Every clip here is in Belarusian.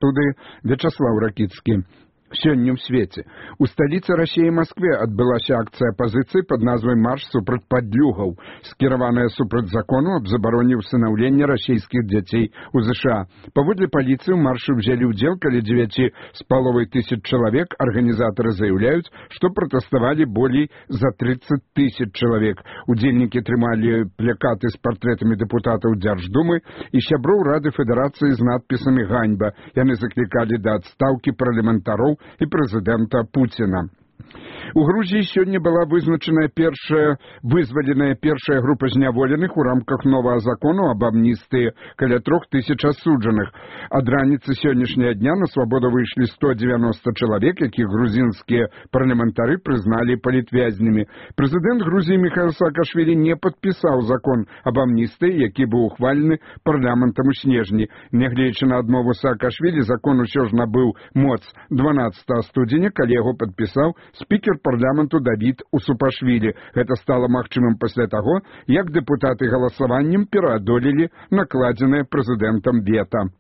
студыі Вячаслав Ракіцкі. Сёння ў свеце. У сталіцы Расіі Маскве адбылася акцыя апазіцыі пад назвай «Марш супраць падлюгаў», скіраваная супраць закону аб забароне ўсынаўлення расійскіх дзяцей у ЗША. Паводле паліцыі ў маршы ўзялі ўдзел каля 9,5 тысяч чалавек. Арганізатары заяўляюць, што пратэставалі болей за 30 тысяч чалавек. Удзельнікі трымалі плакаты з партрэтамі дэпутатаў Дзярждумы і сяброў Рады Федэрацыі з надпісамі «Ганьба». Яны заклікалі да адстаўкі парламентароў і прэзідэнта Пуціна. У Грузіі сёння была вызваленая першая група зняволеных у рамках новага закону аб амністыі, каля 3000 асуджаных. Ад раніцы сённяшняга дня на свабоду выйшлі 190 чалавек, якіх грузінскія парламентары прызналі палітвязнямі. Прэзідэнт Грузіі Міхаіл Саакашвілі не падпісаў закон аб амністыі, які быў ухвалены парламентам у снежні. Нягледзячы на адмову Саакашвілі, закон усё ж набыў моц 12 студзеня, калі яго падпісаў спікер парламенту Давід Усупашвілі. Гэта стала магчымым пасля таго, як дэпутаты галасаваннем пераадолелі накладзенае прэзідэнтам вета.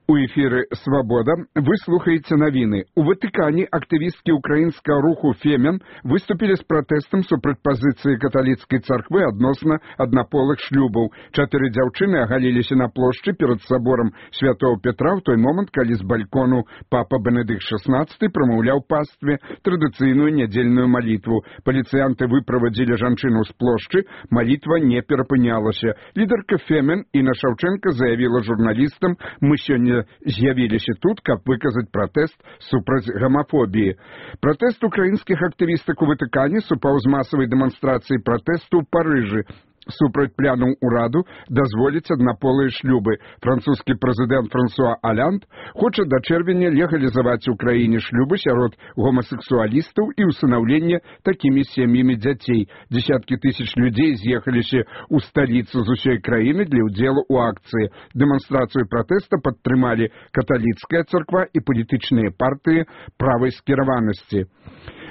У эфіры «Свабода» вы слухаеце навіны. У Ватыкане актывісткі ўкраінскага руху «Фемен» выступілі з пратэстам супраць пазіцыі каталіцкай царквы адносна аднаполых шлюбаў. 4 дзяўчыны агаліліся на плошчы перад саборам Святого Петра ў той момант, калі з балькону папа Бенедыкт XVI прамаўляў пастве традыцыйную нядзельную малітву. Паліцыянты выправадзілі жанчыну з плошчы, малітва не перапынялася. Лідарка «Фемен» Інна Шаўчэнка заявіла журналістам: «Мы сёння з'явіліся тут, каб выказаць пратэст супраць гамафобіі». Пратэст украінскіх актывістак у Ватыкане супаў з масавай дэманстрацыяй пратэсту ў Парыжы супраць планаў ураду дазволіць аднаполыя шлюбы. Французскі прэзідэнт Франсуа Аланд хоча да чэрвеня легалізаваць у краіне шлюбы сярод гомасексуалістаў і ўсынаўлення такімі сем'ямі дзяцей. Дзесяткі тысяч людзей з'ехаліся ў сталіцу з усёй краіны для ўдзелу ў акцыі. Дэманстрацыю пратэста падтрымалі каталіцкая царква і палітычныя партыі правай скіраванасці.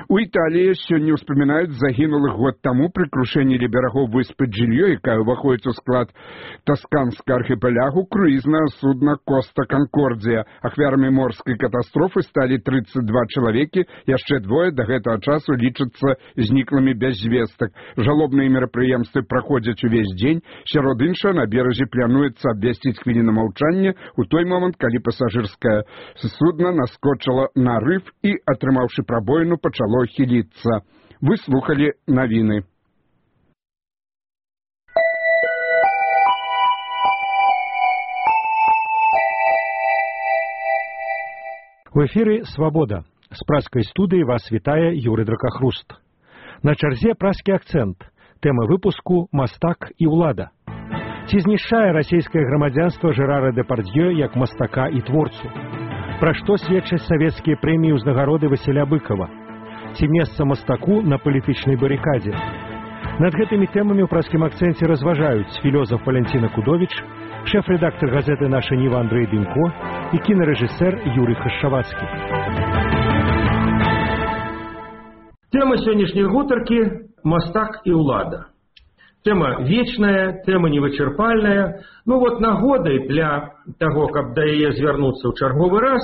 У Італіі сёння ўспамінаюць загінулых год таму пры крушэнні ля берагоў выспы Джильо, якая ўваходзіць у склад тасканскага архіпелягу, круізнае судна «Коста Канкордзія». Ахвярамі морскай катастрофы сталі 32 чалавекі, яшчэ двое да гэтага часу лічацца зніклымі без звестак. Жалобныя мерапрыемствы праходзяць увесь дзень. Сярод іншага, на беразе плануецца абвясціць хвіліну маўчання у той момант, калі пасажырскае судна наскочыла на рыф і, атрымаўшы прабоіну, пачало хіліцца. Вы слухалі навіны. У эфіры «Свабода». З праскай студыі вас вітае Юрый Дракахруст. На чарзе праскі акцэнт. Тэма выпуску «Мастак і ўлада». Ці знішчае расійскае грамадзянства Жерара Дэпардьё як мастака і творцу? Пра што сведчаць савецкія прэміі ўзнагароды Васіля Быкова? Ці месца мастаку на палітычнай барыкадзе? Над гэтымі тэмамі ў праскім акцэнце разважаюць філёзаф Валянціна Кудовіч, шэф-рэдактар газеты «Наша Ніва» Андрэй Дымко і кінарэжысэр Юрый Хашчавацкі. Тэма сённяшняй гутаркі – мастак і ўлада. Тэма вечная, тэма невычарпальная. Нагодай для таго, каб да яе звярнуцца ў чарговы раз,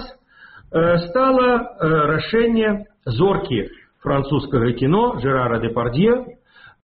стала рашэнне зоркі французскага кіно Жерара Дэпардьё